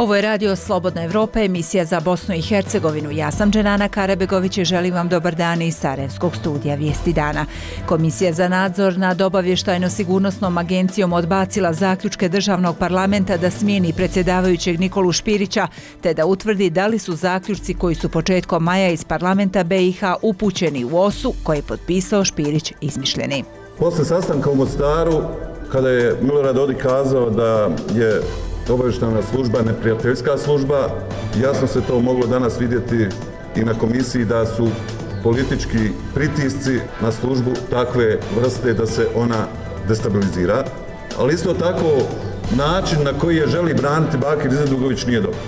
Ovo je Radio Slobodna Evropa, emisija za Bosnu i Hercegovinu. Ja sam Dženana Karabegović i želim vam dobar dan iz Sarajevskog studija Vijesti dana. Komisija za nadzor nad obavještajno-sigurnosnom agencijom odbacila zaključke državnog parlamenta da smijeni predsjedavajućeg Nikolu Špirića, te da utvrdi da li su zaključci koji su početkom maja iz parlamenta BiH upućeni u OSU koje je potpisao Špirić izmišljeni. Posle sastanka u Mostaru, kada je Milorad Dodik kazao da je obavještajna služba neprijateljska služba, jasno se to moglo danas vidjeti i na komisiji da su politički pritisci na službu takve vrste da se ona destabilizira, ali isto tako način na koji je želi braniti Bakir Izetbegović nije dobro.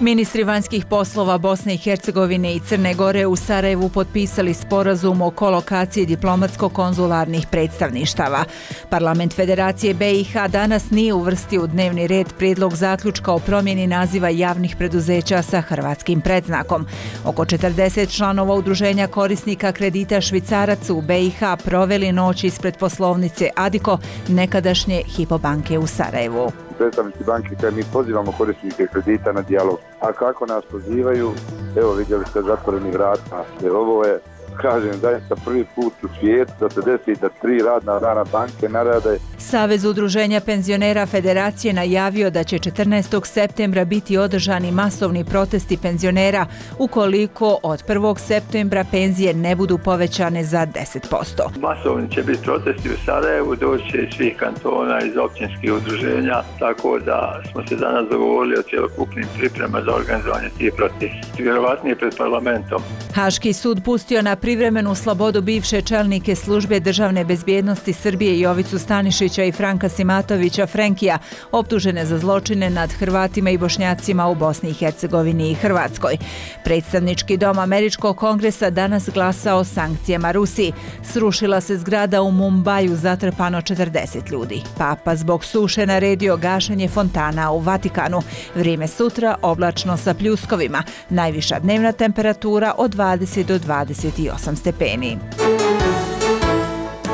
Ministri vanjskih poslova Bosne i Hercegovine i Crne Gore u Sarajevu potpisali sporazum o kolokaciji diplomatsko-konzularnih predstavništava. Parlament Federacije BiH danas nije uvrstio u dnevni red prijedlog zaključka o promjeni naziva javnih preduzeća sa hrvatskim predznakom. Oko 40 članova udruženja korisnika kredita Švicarac u BiH proveli noć ispred poslovnice Adiko, nekadašnje Hypo banke u Sarajevu. Predstavnici banke koje mi pozivamo korisnike kredita na dijalog. A kako nas pozivaju, evo vidjeli ste zatvoreni vrata. Jer ovo je, kažem, zaista prvi put u svijetu da se desi da 3 radna dana banke narade. Savez udruženja penzionera Federacije najavio da će 14. septembra biti održani masovni protesti penzionera ukoliko od 1. septembra penzije ne budu povećane za 10%. Masovni će biti protesti u Sarajevu, doći iz svih kantona, iz općinskih udruženja, tako da smo se danas dogovorili o cjelokupnim pripremama za organizovanje tih protesta. Vjerovatnije pred parlamentom. Haški sud pustio na privremenu slobodu bivše čelnike službe državne bezbjednosti Srbije Jovicu Stanišića i Franka Simatovića Frenkija, optužene za zločine nad Hrvatima i Bošnjacima u Bosni i Hercegovini i Hrvatskoj. Predstavnički dom Američkog kongresa danas glasa o sankcijama Rusiji. Srušila se zgrada u Mumbaju, zatrpano 40 ljudi. Papa zbog suše naredio gašenje fontana u Vatikanu. Vrijeme sutra oblačno sa pljuskovima. Najviša dnevna temperatura od 20 do 28 stepeni.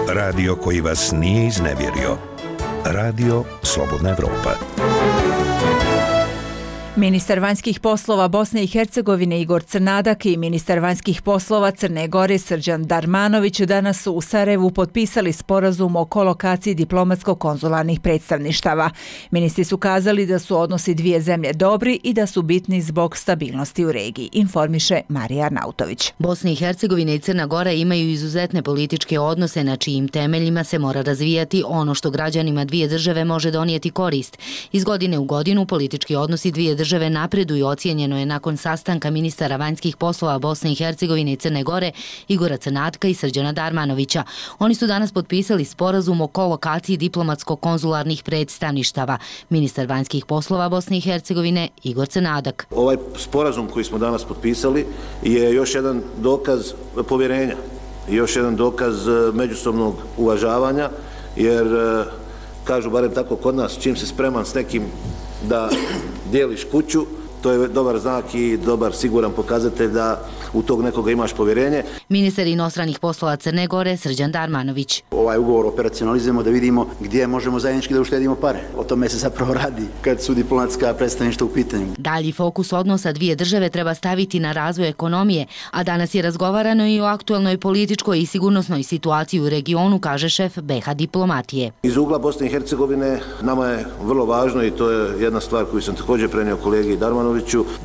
Radio koji vas nije iznevjerio. Radio Slobodna Evropa. Ministar vanjskih poslova Bosne i Hercegovine Igor Crnadak i ministar vanjskih poslova Crne Gore Srđan Darmanović danas su u Sarajevu potpisali sporazum o kolokaciji diplomatsko-konzularnih predstavništava. Ministri su kazali da su odnosi dvije zemlje dobri i da su bitni zbog stabilnosti u regiji, informiše Marija Arnautović. Bosna i Hercegovina i Crna Gora imaju izuzetne političke odnose na čijim temeljima se mora razvijati ono što građanima dvije države može donijeti korist. Iz godine u godinu politički odnosi dvije države napreduju, ocijenjeno je nakon sastanka ministara vanjskih poslova Bosne i Hercegovine i Crne Gore Igora Crnatka i Srđana Darmanovića. Oni su danas potpisali sporazum o kolokaciji diplomatsko-konzularnih predstavništava. Ministar vanjskih poslova Bosne i Hercegovine Igor Crnadak. Ovaj sporazum koji smo danas potpisali je još jedan dokaz povjerenja, još jedan dokaz međusobnog uvažavanja, jer kažu barem tako kod nas, čim se spreman s nekim da dijeliš kuću, to je dobar znak i dobar siguran pokazatelj da u tog nekoga imaš povjerenje. Ministar inostranih poslova Crne Gore Srđan Darmanović. Ovaj ugovor operacionalizujemo da vidimo gdje možemo zajednički da uštedimo pare. O tome se zapravo radi kad su diplomatska predstavništva u pitanju. Dalji fokus odnosa dvije države treba staviti na razvoj ekonomije, a danas je razgovarano i o aktualnoj političkoj i sigurnosnoj situaciji u regionu, kaže šef BiH diplomatije. Iz ugla Bosne i Hercegovine nama je vrlo važno, i to je jedna stvar koju sam također prenio kolegi Darmanoviću,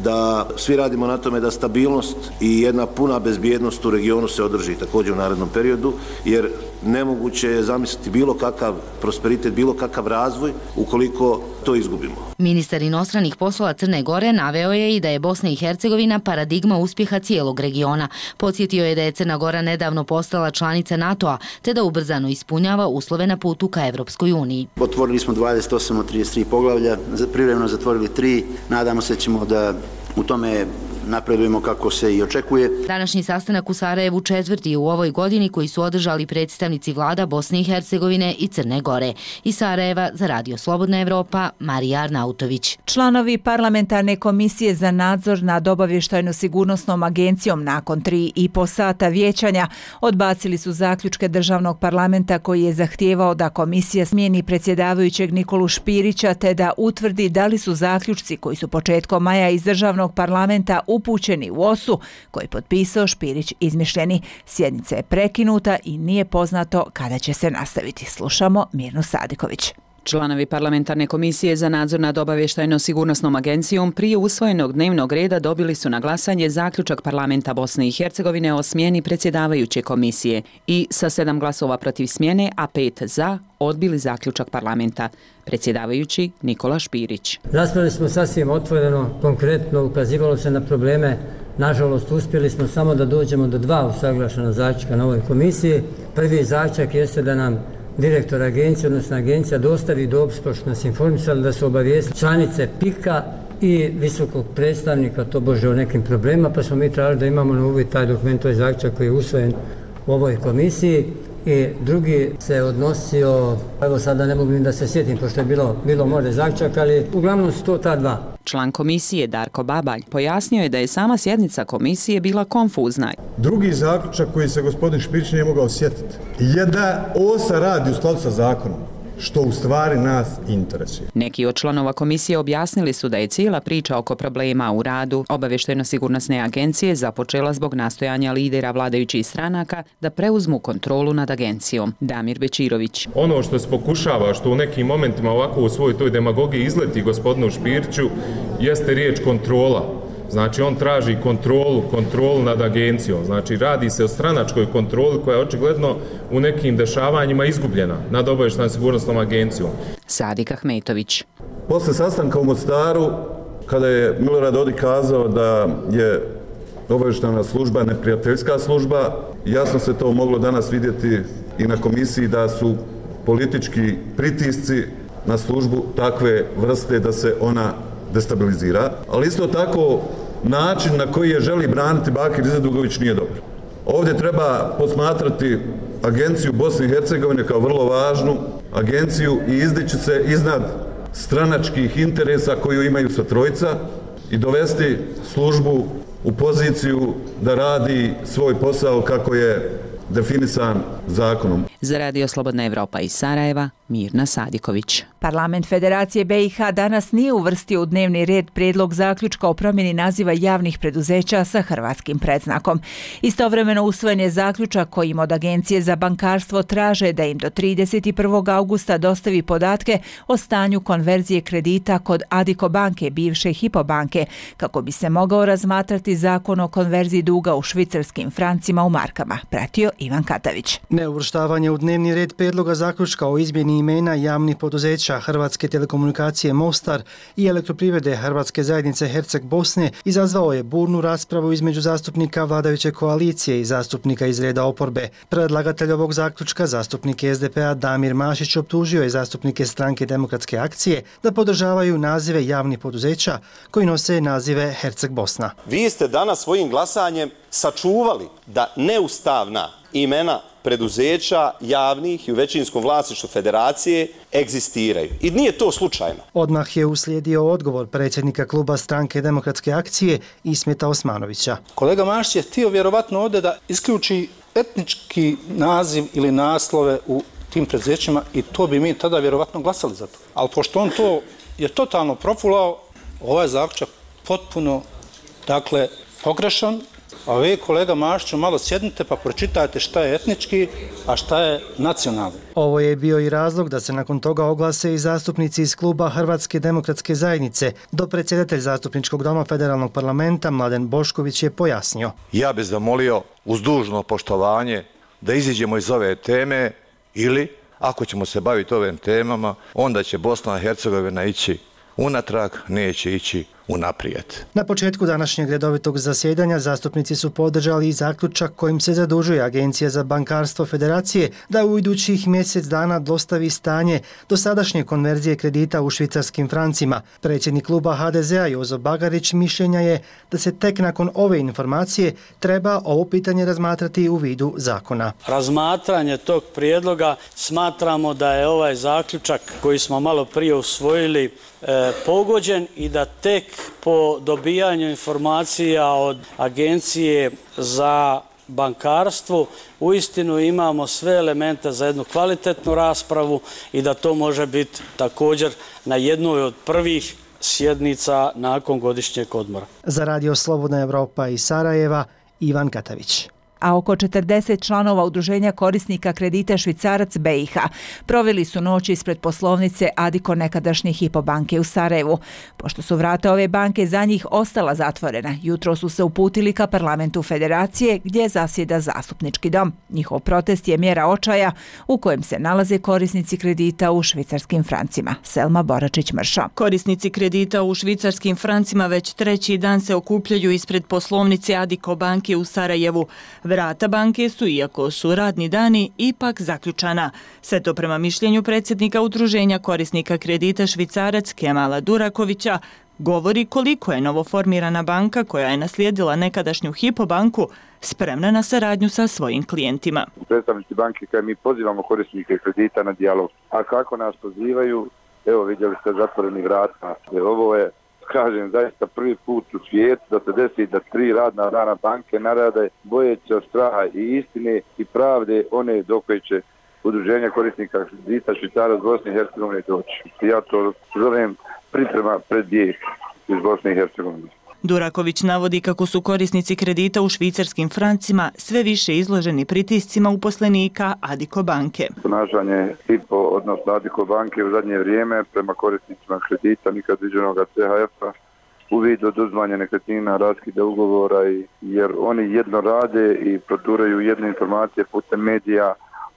da svi radimo na tome da stabilnost i jedna puna bezbjednost u regionu se održi također u narednom periodu, jer nemoguće je zamisliti bilo kakav prosperitet, bilo kakav razvoj ukoliko to izgubimo. Ministar inostranih poslova Crne Gore naveo je i da je Bosna i Hercegovina paradigma uspjeha cijelog regiona. Podsjetio je da je Crna Gora nedavno postala članica NATO-a, te da ubrzano ispunjava uslove na putu ka Evropskoj uniji. Otvorili smo 28 od 33 poglavlja, privremeno zatvorili 3. Nadamo se ćemo da u tome napredujemo kako se i očekuje. Današnji sastanak u Sarajevu četvrti u ovoj godini koji su održali predstavnici vlada Bosne i Hercegovine i Crne Gore. Iz Sarajeva za Radio Slobodna Evropa, Marija Arnautović. Članovi parlamentarne komisije za nadzor nad obavještajno-sigurnosnom agencijom nakon 3,5 sata vijećanja odbacili su zaključke državnog parlamenta koji je zahtijevao da komisija smijeni predsjedavajućeg Nikolu Špirića te da utvrdi da li su zaključci koji su početkom maja iz državnog parlamenta upućeni u OSU koji je potpisao Špirić izmišljeni. Sjednica je prekinuta i nije poznato kada će se nastaviti. Slušamo Mirnu Sadiković. Članovi parlamentarne komisije za nadzor nad obavještajno-sigurnosnom agencijom prije usvojenog dnevnog reda dobili su na glasanje zaključak parlamenta Bosne i Hercegovine o smjeni predsjedavajuće komisije i sa 7 glasova protiv smjene, a 5 za, odbili zaključak parlamenta. Predsjedavajući Nikola Špirić. Raspravili smo sasvim otvoreno, konkretno, ukazivalo se na probleme. Nažalost, uspjeli smo samo da dođemo do 2 usaglašena zaključka na ovoj komisiji. Prvi zaključak jeste da nam direktor agencije, odnosno agencija, dostavi dopis, pošto nas informisali da su obavijestili članice PIK-a i visokog predstavnika, to bože o nekim problemima, pa smo mi tražili da imamo na uvid taj dokument, to je zaključak koji je usvojen u ovoj komisiji. I drugi se odnosio, evo sada ne mogu ni da se sjetim, pošto je bilo možda zaključak, ali uglavnom su to ta 2. Član komisije Darko Babalj pojasnio je da je sama sjednica komisije bila konfuzna. Drugi zaključak koji se gospodin Špirić nije mogao sjetiti je da OSA radi u skladu sa zakonom, što u stvari nas interesuje. Neki od članova komisije objasnili su da je cijela priča oko problema u radu obavještajno-sigurnosne agencije započela zbog nastojanja lidera vladajućih stranaka da preuzmu kontrolu nad agencijom. Damir Bečirović. Ono što se pokušava, što u nekim momentima ovako u svojoj toj demagogiji izleti gospodinu Špiriću, jeste riječ kontrola. Znači on traži kontrolu nad agencijom. Znači radi se o stranačkoj kontroli koja je očigledno u nekim dešavanjima izgubljena nad obavještajno-sigurnosnom agencijom. Sadik Ahmetović. Posle sastanka u Mostaru, kada je Milorad Dodik kazao da je obavještajna služba neprijateljska služba, jasno se to moglo danas vidjeti i na komisiji da su politički pritisci na službu takve vrste da se ona destabilizira, ali isto tako način na koji je želi braniti Bakir Izetbegović nije dobar. Ovdje treba posmatrati agenciju Bosne i Hercegovine kao vrlo važnu agenciju i izdići se iznad stranačkih interesa koju imaju sa trojica i dovesti službu u poziciju da radi svoj posao kako je definisan zakonom. Za Radio Slobodna Evropa iz Sarajeva, Mirna Sadiković. Parlament Federacije BiH danas nije uvrstio u dnevni red prijedlog zaključka o promjeni naziva javnih preduzeća sa hrvatskim predznakom. Istovremeno usvojen je zaključak kojim od Agencije za bankarstvo traže da im do 31. augusta dostavi podatke o stanju konverzije kredita kod Adiko banke, bivše Hypo banke, kako bi se mogao razmatrati zakon o konverziji duga u švicarskim francima u markama. Pratio Ivan Katavić. Neuvrštavanje u dnevni red prijedloga zaključka o izmjeni imena javnih poduzeća Hrvatske telekomunikacije Mostar i Elektroprivrede Hrvatske zajednice Herceg Bosne izazvao je burnu raspravu između zastupnika vladajuće koalicije i zastupnika iz reda oporbe. Predlagatelj ovog zaključka, zastupnik SDP-a Damir Mašić, optužio je zastupnike Stranke demokratske akcije da podržavaju nazive javnih poduzeća koji nose nazive Herceg Bosna. Vi ste danas svojim glasanjem sačuvali da neustavna imena preduzeća javnih i u većinskom vlasništvu federacije egzistiraju. I nije to slučajno. Odmah je uslijedio odgovor predsjednika kluba Stranke demokratske akcije Ismeta Osmanovića. Kolega Mašić je htio vjerovatno ovdje da isključi etnički naziv ili naslove u tim preduzećima i to bi mi tada vjerovatno glasali za to. Ali pošto on to je totalno profulao, ovaj zaključak potpuno, pogrešan. A vi, kolega Mašiću, malo sjednite pa pročitajte šta je etnički, a šta je nacionalni. Ovo je bio i razlog da se nakon toga oglase i zastupnici iz kluba Hrvatske demokratske zajednice. Dopredsjedatelj zastupničkog doma federalnog parlamenta Mladen Bošković je pojasnio. Ja bih zamolio uz dužno poštovanje da iziđemo iz ove teme ili, ako ćemo se baviti ovim temama, onda će Bosna i Hercegovina ići unatrag, neće ići unaprijed. Na početku današnjeg redovitog zasjedanja zastupnici su podržali i zaključak kojim se zadužuje Agencija za bankarstvo Federacije da u idućih mjesec dana dostavi stanje dosadašnje konverzije kredita u švicarskim francima. Predsjednik kluba HDZ-a Jozo Bagarić mišljenja je da se tek nakon ove informacije treba ovo pitanje razmatrati u vidu zakona. Razmatranje tog prijedloga smatramo da je ovaj zaključak koji smo malo prije usvojili pogođen i da tek po dobijanju informacija od Agencije za bankarstvo uistinu imamo sve elemente za jednu kvalitetnu raspravu i da to može biti također na jednoj od prvih sjednica nakon godišnjeg odmora. Za Radio Slobodna Evropa iz Sarajeva, Ivan Katavić. A oko 40 članova udruženja korisnika kredita Švicarac BiH proveli su noć ispred poslovnice Adiko nekadašnje Hypo banke u Sarajevu. Pošto su vrata ove banke za njih ostala zatvorena, jutro su se uputili ka parlamentu Federacije gdje zasjeda zastupnički dom. Njihov protest je mjera očaja u kojem se nalaze korisnici kredita u švicarskim francima. Selma Boračić-Mršo. Korisnici kredita u švicarskim francima već treći dan se okupljaju ispred poslovnice Adiko banke u Sarajevu. Vrata banke su, iako su radni dani, ipak zaključana. Sve to prema mišljenju predsjednika udruženja korisnika kredita Švicarac Kemala Durakovića govori koliko je novoformirana banka koja je naslijedila nekadašnju Hypo banku spremna na saradnju sa svojim klijentima. Predstavnici banke koje mi pozivamo korisnike kredita na dijalog, a kako nas pozivaju, evo vidjeli ste zatvoreni vrata. Ovo je, kažem, zaista prvi put u svijetu da se desi da 3 radna dana banke narade bojeći od straha i istine i pravde one do koje će udruženja korisnika kredita Švicarac Bosne i Hercegovine doći. Ja to zovem priprema pred bijeg iz Bosne i Hercegovine. Duraković navodi kako su korisnici kredita u švicarskim francima sve više izloženi pritiscima uposlenika Adiko banke. Ponašanje Hypo, odnosno Adiko banke u zadnje vrijeme prema korisnicima kredita nikad viđenog CHF-a u vidu oduzimanja nekretnina, raskida ugovora, jer oni jedno rade i proturaju jedne informacije putem medija,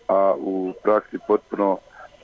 a u praksi potpuno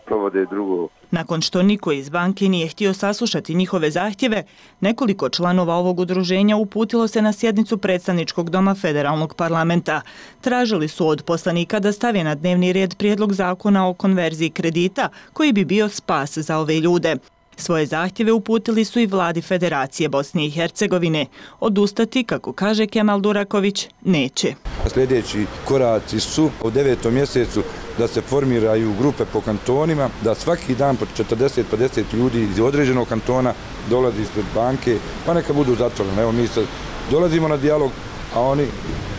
provode drugo. Nakon što niko iz banke nije htio saslušati njihove zahtjeve, nekoliko članova ovog udruženja uputilo se na sjednicu predstavničkog doma federalnog parlamenta. Tražili su od poslanika da stave na dnevni red prijedlog zakona o konverziji kredita koji bi bio spas za ove ljude. Svoje zahtjeve uputili su i vladi Federacije Bosne i Hercegovine. Odustati, kako kaže Kemal Duraković, neće. Sljedeći koraci su u 9. mjesecu da se formiraju grupe po kantonima, da svaki dan po 40-50 ljudi iz određenog kantona dolazi ispred banke, pa neka budu zatvoreni. Evo mi sad dolazimo na dijalog, a oni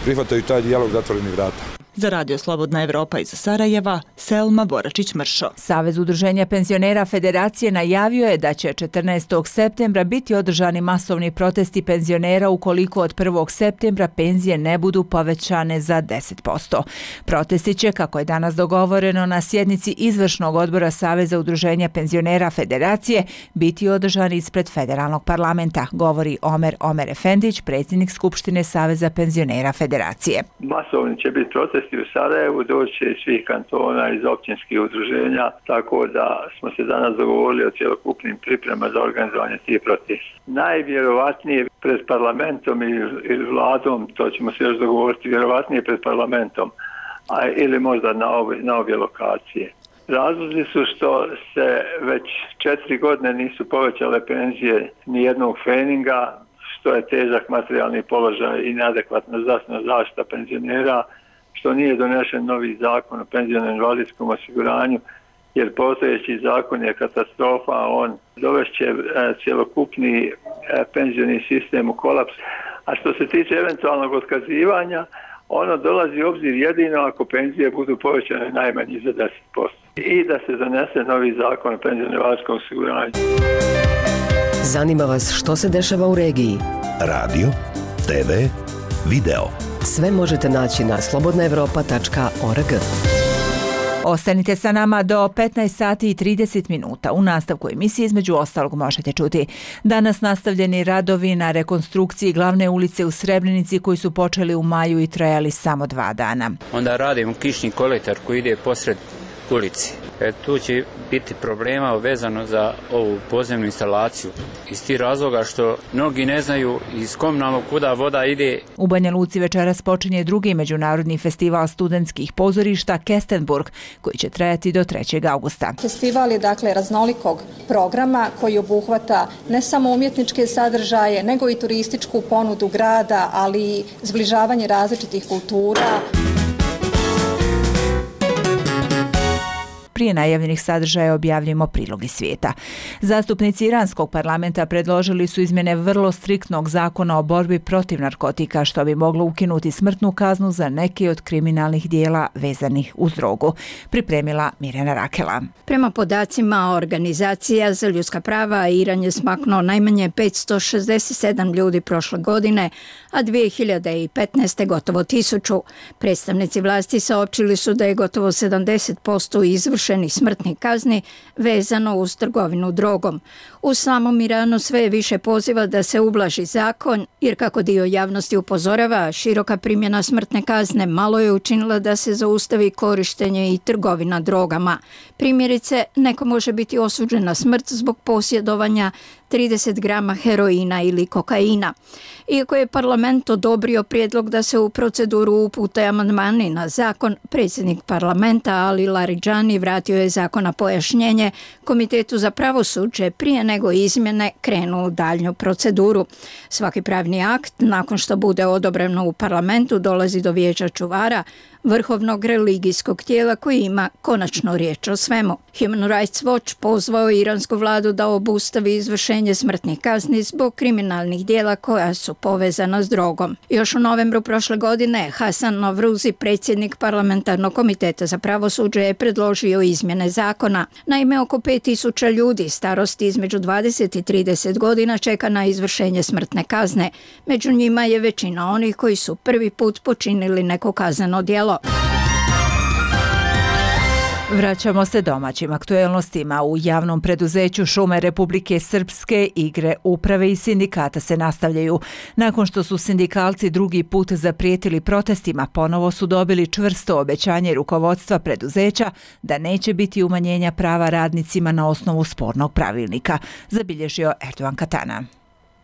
prihvataju taj dijalog zatvorenih vrata. Za Radio Slobodna Evropa iz Sarajeva, Selma Boračić-Mršo. Savez udruženja penzionera Federacije najavio je da će 14. septembra biti održani masovni protesti penzionera ukoliko od 1. septembra penzije ne budu povećane za 10%. Protesti će, kako je danas dogovoreno na sjednici izvršnog odbora Saveza udruženja penzionera Federacije, biti održani ispred federalnog parlamenta, govori Omer Efendić, predsjednik Skupštine Saveza penzionera Federacije. Masovni će biti protesti u Sarajevu, doći iz svih kantona, iz općinskih udruženja, tako da smo se danas dogovorili o cjelokupnim priprema za organizovanje tih protesta. Najvjerovatnije pred parlamentom ili vladom, to ćemo se još dogovoriti, vjerovatnije pred parlamentom, ili možda na obje lokacije. Razlozi su što se već 4 godine nisu povećale penzije ni jednog feninga, što je težak materijalni položaj i neadekvatna zdravstvena zaštita penzionera, što nije donešen novi zakon o penzionom invalidskom osiguranju, jer postojeći zakon je katastrofa, on dovešće cjelokupni penzioni sistem u kolaps. A što se tiče eventualnog otkazivanja, ono dolazi u obzir jedino ako penzije budu povećane najmanje za 10% i da se donese novi zakon o penzionom invalidskom osiguranju. Zanima vas što se dešava u regiji? Radio, TV, video. Sve možete naći na slobodnaevropa.org. Ostanite sa nama do 15 sati i 30 minuta. U nastavku emisije između ostalog možete čuti danas nastavljeni radovi na rekonstrukciji glavne ulice u Srebrenici koji su počeli u maju i trajali samo 2 dana. Onda radimo kišni kolektor koji ide posred ulici. Tu će biti problema vezano za ovu podzemnu instalaciju. Iz tih razloga što mnogi ne znaju iz komunalnog kuda voda ide. U Banja Luci večeras počinje drugi međunarodni festival studentskih pozorišta Kestenburg, koji će trajati do 3. augusta. Festival je dakle raznolikog programa koji obuhvata ne samo umjetničke sadržaje, nego i turističku ponudu grada, ali i zbližavanje različitih kultura. Prije najavljenih sadržaja objavljujemo prilog iz svijeta. Zastupnici iranskog parlamenta predložili su izmjene vrlo striktnog zakona o borbi protiv narkotika, što bi moglo ukinuti smrtnu kaznu za neke od kriminalnih dijela vezanih uz drogu. Pripremila Mirjana Rakela. Prema podacima organizacija za ljudska prava, Iran je smaknuo najmanje 567 ljudi prošle godine, a 2015. gotovo 1000. Predstavnici vlasti saopćili su da je gotovo 70% izvršenih smrtnih kazni vezano uz trgovinu drogom. U samom Iranu sve je više poziva da se ublaži zakon, jer kako dio javnosti upozorava, široka primjena smrtne kazne malo je učinila da se zaustavi korištenje i trgovina drogama. Primjerice, neko može biti osuđen na smrt zbog posjedovanja 30 grama heroina ili kokaina. Iako je parlament odobrio prijedlog da se u proceduru upute amandmani na zakon, predsjednik parlamenta Ali Laridžani vratio je zakon na pojašnjenje Komitetu za pravosuđe prije nego izmjene krenu u daljnju proceduru. Svaki pravni akt, nakon što bude odobreno u parlamentu, dolazi do vijeća čuvara, vrhovnog religijskog tijela koji ima konačno riječ o svemu. Human Rights Watch pozvao je iransku vladu da obustavi izvršenje smrtnih kazni zbog kriminalnih dijela koja su povezana s drogom. Još u novembru prošle godine Hasan Novruzi, predsjednik parlamentarnog komiteta za pravosuđe, je predložio izmjene zakona. Naime, oko 5000 ljudi starosti između 20 i 30 godina čeka na izvršenje smrtne kazne. Među njima je većina onih koji su prvi put počinili neko kazneno djelo. Vraćamo se domaćim aktuelnostima. U javnom preduzeću Šume Republike Srpske igre uprave i sindikata se nastavljaju. Nakon što su sindikalci drugi put zaprijetili protestima, ponovo su dobili čvrsto obećanje rukovodstva preduzeća da neće biti umanjenja prava radnicima na osnovu spornog pravilnika, zabilježio Erdogan Katana.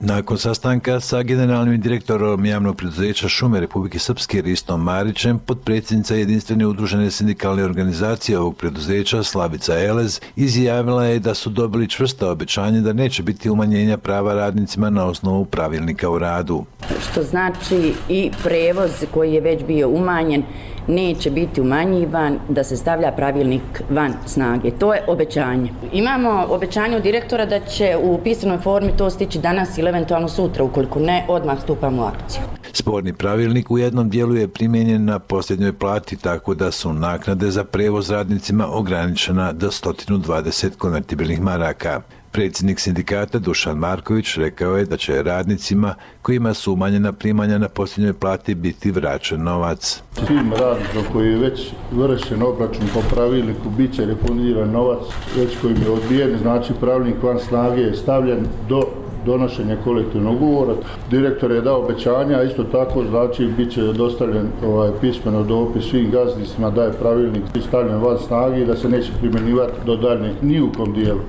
Nakon sastanka sa generalnim direktorom javnog preduzeća Šume Republike Srpske Ristom Marićem, potpredsjednica jedinstvene udružene sindikalne organizacije ovog preduzeća Slavica Elez izjavila je da su dobili čvrsto obećanje da neće biti umanjenja prava radnicima na osnovu pravilnika o radu. Što znači i prevoz koji je već bio umanjen neće biti umanjivan, da se stavlja pravilnik van snage. To je obećanje. Imamo obećanje od direktora da će u pisanoj formi to stići danas ili eventualno sutra, ukoliko ne, odmah stupamo u akciju. Sporni pravilnik u jednom dijelu je primijenjen na posljednjoj plati, tako da su naknade za prevoz radnicima ograničena do 120 konvertibilnih maraka. Predsjednik sindikata Dušan Marković rekao je da će radnicima kojima su umanjena primanja na posljednjoj plati biti vraćen novac. Svim radnicima koji je već vršen obračun po pravilniku bit će refundiran novac već kojim je odbijen, znači pravilnik van snage je stavljen do donošenja kolektivnog ugovora. Direktor je dao obećanja, a isto tako znači bit će dostavljen pismeno dopis svim gazdinstvima da je pravilnik stavljen van snage i da se neće primjenjivati do daljnjeg ni u kom dijelu.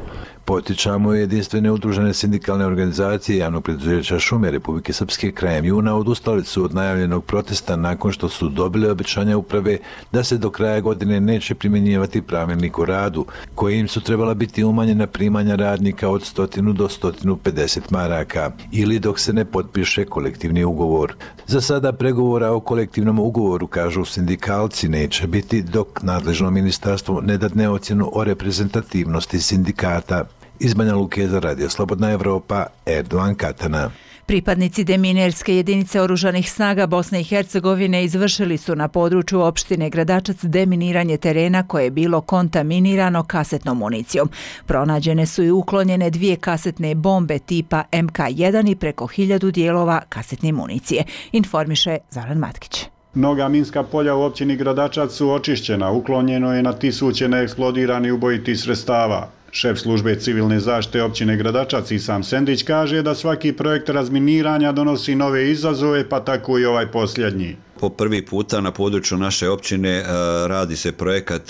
Potičamo jedinstvene udružene sindikalne organizacije javnog preduzeća Šume Republike Srpske krajem juna odustali su od najavljenog protesta nakon što su dobili obećanja uprave da se do kraja godine neće primjenjivati pravilnik o radu, kojim su trebala biti umanjena primanja radnika od 100 do 150 maraka ili dok se ne potpiše kolektivni ugovor. Za sada pregovora o kolektivnom ugovoru, kažu sindikalci, neće biti dok nadležno ministarstvo ne dadne ocjenu o reprezentativnosti sindikata. Iz Banja Luke za Radio Slobodna Evropa, Erdogan Katana. Pripadnici deminerske jedinice oružanih snaga Bosne i Hercegovine izvršili su na području opštine Gradačac deminiranje terena koje je bilo kontaminirano kasetnom municijom. Pronađene su i uklonjene 2 kasetne bombe tipa MK1 i preko 1000 dijelova kasetne municije, informiše Zoran Matkić. Mnoga minska polja u općini Gradačac su očišćena, uklonjeno je na tisuće neeksplodiranih ubojitih sredstava. Šef službe civilne zaštite općine Gradačac Isam Sendić kaže da svaki projekt razminiranja donosi nove izazove, pa tako i ovaj posljednji. Po prvi puta na području naše općine radi se projekat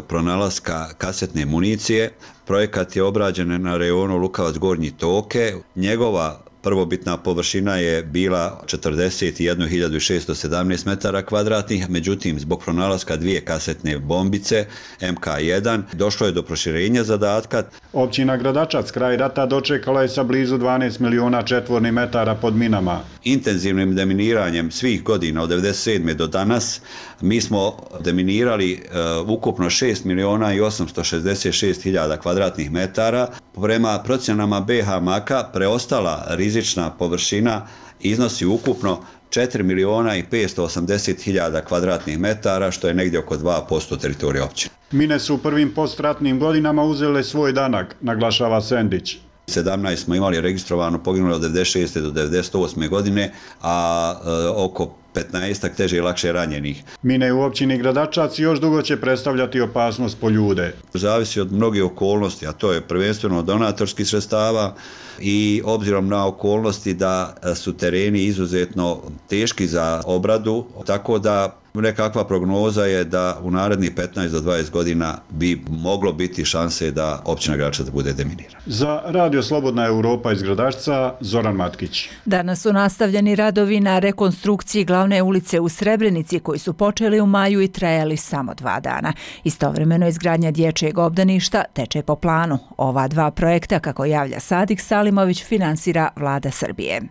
pronalaska kasetne municije. Projekat je obrađen na rejonu Lukavac Gornji Toke. Njegova prvobitna površina je bila 41.617 metara kvadratnih, međutim zbog pronalaska 2 kasetne bombice MK1 došlo je do proširenja zadatka. Općina Gradačac kraj rata dočekala je sa blizu 12 miliona četvornih metara pod minama. Intenzivnim deminiranjem svih godina od 1997. do danas mi smo deminirali ukupno 6 miliona i 866 hiljada kvadratnih metara. Prema procjenama BH Maka preostala rizična površina iznosi ukupno 4 miliona i 580 hiljada kvadratnih metara, što je negdje oko 2% teritorija općine. Mine su u prvim postratnim godinama uzele svoj danak, naglašava Sendić. 17 smo imali registrovano poginule od 96. do 98. godine, a oko 15 teže i lakše ranjenih. Mine u općini Gradačac još dugo će predstavljati opasnost po ljude. Zavisi od mnogih okolnosti, a to je prvenstveno donatorskih sredstava i obzirom na okolnosti da su tereni izuzetno teški za obradu, tako da nekakva prognoza je da u narednih 15 do 20 godina bi moglo biti šanse da općina Gradačac bude deminirana. Za Radio Slobodna Europa iz Gradačca, Zoran Matkić. Danas su nastavljeni radovi na rekonstrukciji glavne ulice u Srebrenici koji su počeli u maju i trajali samo 2 dana. Istovremeno izgradnja dječjeg obdaništa teče po planu. Ova 2 projekta, kako javlja Sadik Salimović, finansira Vlada Srbije.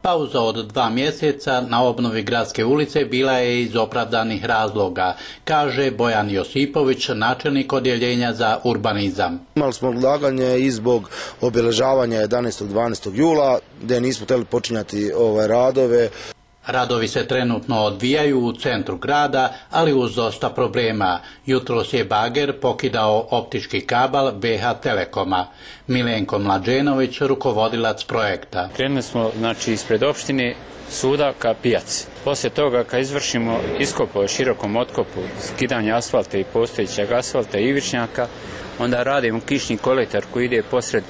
Pauza od 2 mjeseca na obnovi gradske ulice bila je iz opravdanih razloga, kaže Bojan Josipović, načelnik odjeljenja za urbanizam. Imali smo odlaganje i zbog obilježavanja 11. 12. jula, gdje nismo htjeli počinjati ove radove. Radovi se trenutno odvijaju u centru grada, ali uz dosta problema. Jutros je bager pokidao optički kabel BH Telekoma. Milenko Mlađenović, rukovodilac projekta. Krenuli smo ispred opštine suda ka pijaci. Poslije toga kad izvršimo iskop o širokom otkopu, skidanje asfalta i postojećeg asfalta i ivičnjaka, onda radimo kišni kolektor koji ide posred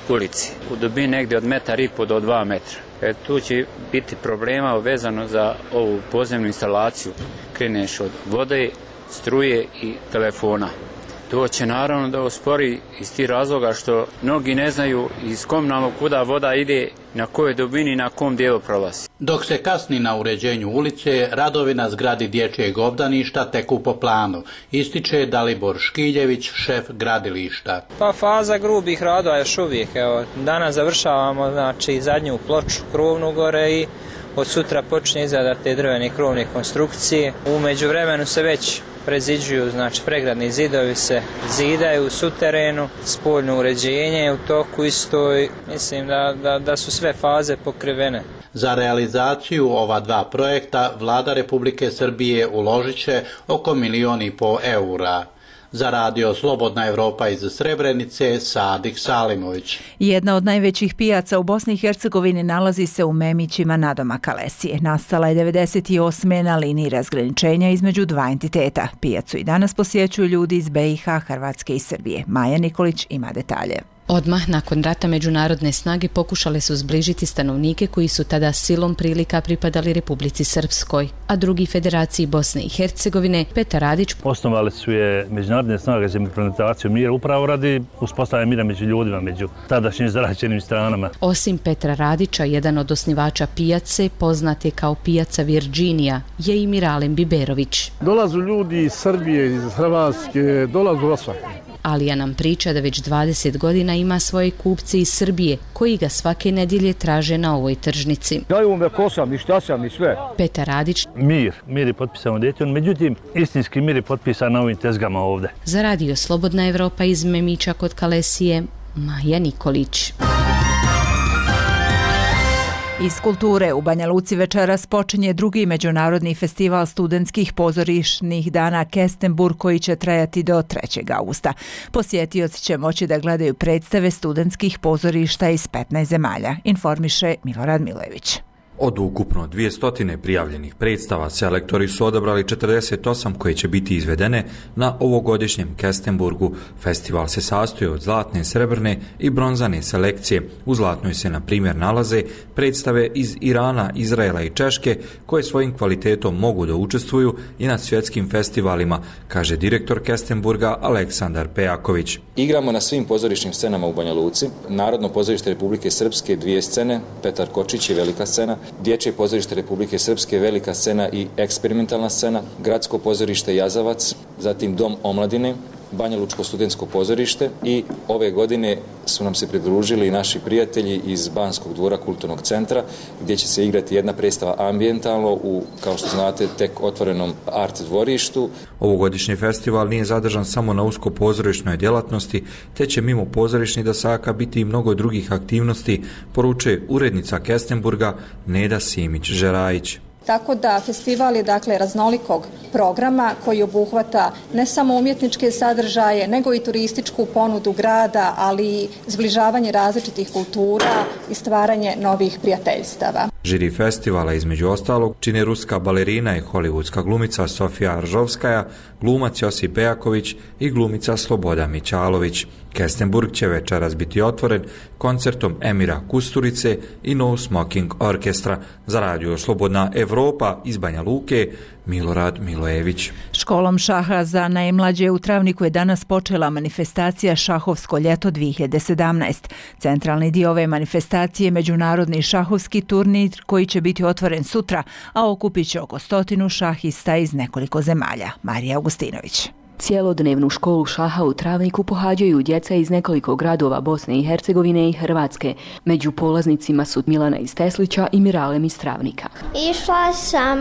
ulici u dubini negdje od 1,5 do 2 metra. Tu će biti problema vezano za ovu podzemnu instalaciju. Kreneš od vode, struje i telefona. To će naravno da uspori iz tih razloga što mnogi ne znaju iz kom nam kuda voda ide, na kojoj dubini i na kom dijelu prolazi. Dok se kasni na uređenju ulice, radovi na zgradi dječjeg obdaništa teku po planu, ističe Dalibor Škiljević, šef gradilišta. Pa faza grubih radova još uvijek. Danas završavamo zadnju ploču krovnu gore i od sutra počinje izrada te drvene krovne konstrukcije. U međuvremenu se već preziđuju, pregradni zidovi se zidaju u suterenu, spoljno uređenje u toku isto, mislim da su sve faze pokrivene. Za realizaciju ova 2 projekta Vlada Republike Srbije uložit će oko 1,5 miliona eura. Za Radio Slobodna Europa iz Srebrenice, Sadik Salimović. Jedna od najvećih pijaca u Bosni i Hercegovini nalazi se u Memićima nadomak Kalesije. Nastala je 1998. na liniji razgraničenja između 2 entiteta. Pijacu i danas posjećuju ljudi iz BiH, Hrvatske i Srbije. Maja Nikolić ima detalje. Odmah nakon rata međunarodne snage pokušale su zbližiti stanovnike koji su tada silom prilika pripadali Republici Srpskoj, a drugi Federaciji Bosne i Hercegovine. Petar Radić. Osnovali su je međunarodne snage za implementaciju mira upravo radi uspostavljanja mira među ljudima, među tadašnjim zaraćenim stranama. Osim Petra Radića, jedan od osnivača pijace, poznat je kao pijaca Virginija, je i Miralem Biberović. Dolazu ljudi iz Srbije, iz Hrvatske, dolazu osvaka. Alija nam priča da već 20 godina ima svoje kupce iz Srbije, koji ga svake nedjelje traže na ovoj tržnici. Daju me ko sam i šta sam i sve. Petar Radić. Mir je potpisan u Daytonu, međutim, istinski mir je potpisan na ovim tezgama ovdje. Za Radio Slobodna Evropa iz Memića kod Kalesije, Maja Nikolić. Iz kulture u Banja Luci večeras počinje 2. međunarodni festival studentskih pozorišnih dana Kestenburg koji će trajati do 3. augusta. Posjetioci će moći da gledaju predstave studentskih pozorišta iz 15 zemalja, informiše Milorad Milojević. Od ukupno 200 prijavljenih predstava, selektori su odabrali 48 koje će biti izvedene na ovogodišnjem Kestenburgu. Festival se sastoji od zlatne, srebrne i bronzane selekcije. U zlatnoj se, na primjer, nalaze predstave iz Irana, Izraela i Češke, koje svojim kvalitetom mogu da učestvuju i na svjetskim festivalima, kaže direktor Kestenburga Aleksandar Pejaković. Igramo na svim pozorišnim scenama u Banja Luci. Narodno pozorište Republike Srpske 2 scene, Petar Kočić je velika scena, Dječje pozorište Republike Srpske velika scena i eksperimentalna scena, Gradsko pozorište Jazavac, zatim Dom omladine, Banja Lučko studentsko pozorište i ove godine su nam se pridružili naši prijatelji iz Banskog dvora kulturnog centra, gdje će se igrati jedna predstava ambijentalno u, kao što znate, tek otvorenom art dvorištu. Ovogodišnji festival nije zadržan samo na usko pozorišnoj djelatnosti, te će mimo pozorišnih dasaka biti i mnogo drugih aktivnosti, poručuje urednica Kestenburga Neda Simić-Žerajić. Tako da festival je dakle raznolikog programa koji obuhvata ne samo umjetničke sadržaje, nego i turističku ponudu grada, ali i zbližavanje različitih kultura i stvaranje novih prijateljstava. Žiri festivala između ostalog čine ruska balerina i hollywoodska glumica Sofija Aržovskaja, glumac Josip Pejaković i glumica Sloboda Mićalović. Kestenburg će večeras biti otvoren koncertom Emira Kusturice i No Smoking Orkestra. Za radio Slobodna Evropa iz Banja Luke, Milorad Milojević. Školom šaha za najmlađe u Travniku je danas počela manifestacija Šahovsko ljeto 2017. Centralni dio ove manifestacije je međunarodni šahovski turnir koji će biti otvoren sutra, a okupit će oko 100 šahista iz nekoliko zemalja. Marija Augustinović. Cijelodnevnu školu šaha u Travniku pohađaju djeca iz nekoliko gradova Bosne i Hercegovine i Hrvatske. Među polaznicima su Milana iz Teslića i Miralem iz Travnika. Išla sam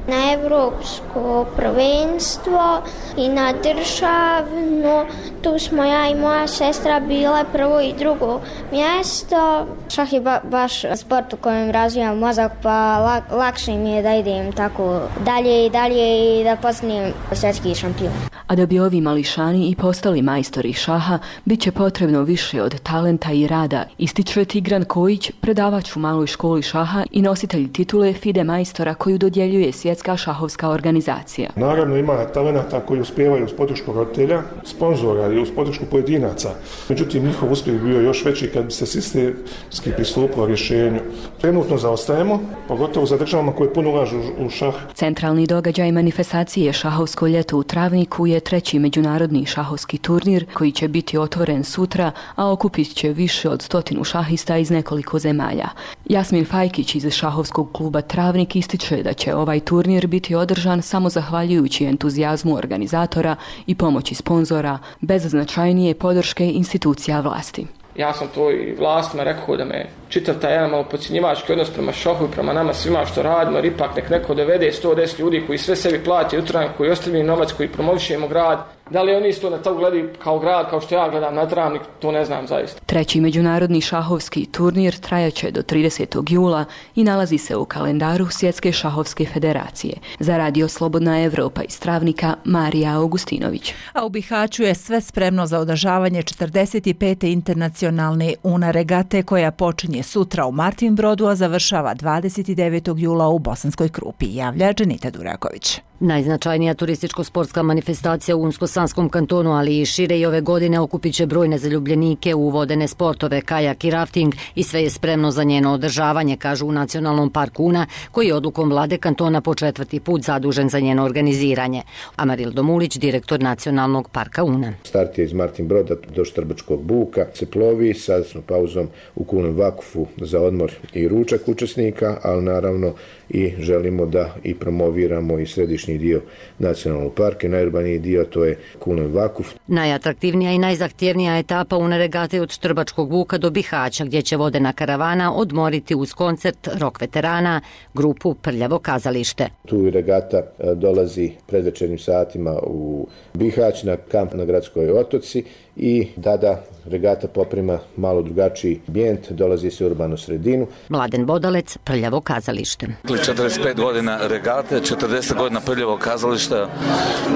na evropsko prvenstvo i na državno. Tu smo ja i moja sestra bile prvo i drugo mjesto. Šah je baš sport u kojem razvijam mozak, pa lakše mi je da idem tako dalje i dalje i da postanem svjetski šampion. A da bi ovi mališani i postali majstori šaha, bit će potrebno više od talenta i rada, ističe Tigran Kojić, predavač u maloj školi šaha i nositelj titule FIDE majstora koju dodjeljuje Svjetska šahovska organizacija. Naravno ima talenata koji uspijevaju uz podršku roditelja, sponzora i uz podršku pojedinaca. Međutim, njihov uspjeh bio još veći kad bi se sistemski pristupilo rješenju. Trenutno zaostajemo, pogotovo za državama koje puno ulažu u šah. Centralni događaj manifestacije Šahovsko ljeto u Travniku je treći međunarodni šahovski turnir koji će biti otvoren sutra, a okupit će više od 100 šahista iz nekoliko zemalja. Jasmin Fajkić iz šahovskog kluba Travnik ističe da će ovaj turnir biti održan samo zahvaljujući entuzijazmu organizatora i pomoći sponzora, bez značajnije podrške institucija vlasti. Ja sam to i vlastima rekao da me čitav taj jedan malo podcjenjivački odnos prema šahu i prema nama svima što radimo, jer ipak nek neko dovede 110 ljudi koji sve sebi plati utranje, koji ostavljaju novac, koji promovišemo grad. Da li oni isto na to gledaju kao grad, kao što ja gledam na Travnik, to ne znam zaista. Treći međunarodni šahovski turnir trajaće do 30. jula i nalazi se u kalendaru Svjetske šahovske federacije. Za radio Slobodna Evropa iz Travnika, Marija Augustinović. A u Bihaću je sve spremno za održavanje 45. internacionalne UNA regate koja počinje sutra u Martinbrodu, a završava 29. jula u Bosanskoj Krupi, javlja Dženita Duraković. Najznačajnija turističko-sportska manifestacija u Unsko-Sanskom kantonu, ali i šire i ove godine okupit će brojne zaljubljenike u vodene sportove, kajak i rafting i sve je spremno za njeno održavanje, kažu u Nacionalnom parku Una, koji je odlukom vlade kantona po 4. put zadužen za njeno organiziranje. Amaril Domulić, direktor Nacionalnog parka Una. Start je iz Martinbroda do Štrbačkog buka, se plovi sa pauzom u Kulnom Vakufu za odmor i ručak učesnika, ali naravno i želimo da i promoviramo i središnji dio nacionalnog parka, najurbaniji dio to je Kulnom Vakuf. Najatraktivnija i najzahtjevnija etapa UNA regate je od Štrbačkog buka do Bihaća, gdje će vodena karavana odmoriti uz koncert rock veterana, grupu Prljavo kazalište. Tu regata dolazi predvečernjim satima u Bihać na kamp na Gradskoj otoci i da regata poprima malo drugačiji ambijent, dolazi se u urbanu sredinu. Mladen Bodalec, Prljavo kazalište. 45 godina regate, 40 godina Prljavo kazališta,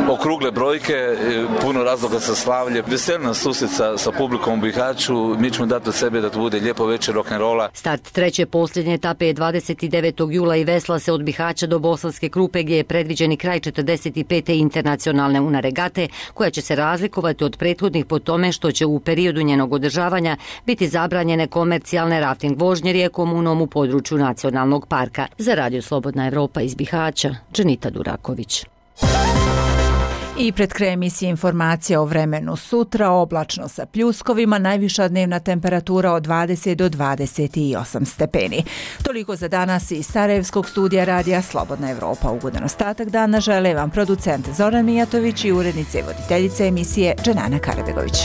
okrugle brojke, puno razloga za slavlje. Veselna susret sa publikom u Bihaću, mi ćemo dati od sebe da to bude lijepo večer rock'n'rolla. Start treće posljednje etape je 29. jula i vesla se od Bihaća do Bosanske Krupe gdje je predviđeni kraj 45. internacionalne UNA regate koja će se razlikovati od prethodnih po tome što će u periodu njenog održavanja biti zabranjene komercijalne rafting vožnje rijekom Unom u području nacionalnog parka. Za Radio Slobodna Evropa iz Bihaća, Dženita Duraković. I pred kraj emisije informacija o vremenu sutra, oblačno sa pljuskovima, najviša dnevna temperatura od 20 do 28 stepeni. Toliko za danas iz Sarajevskog studija Radija Slobodna Evropa. Ugodan ostatak dana žele vam producent Zoran Mijatović i urednice i voditeljice emisije Dženana Karabegović.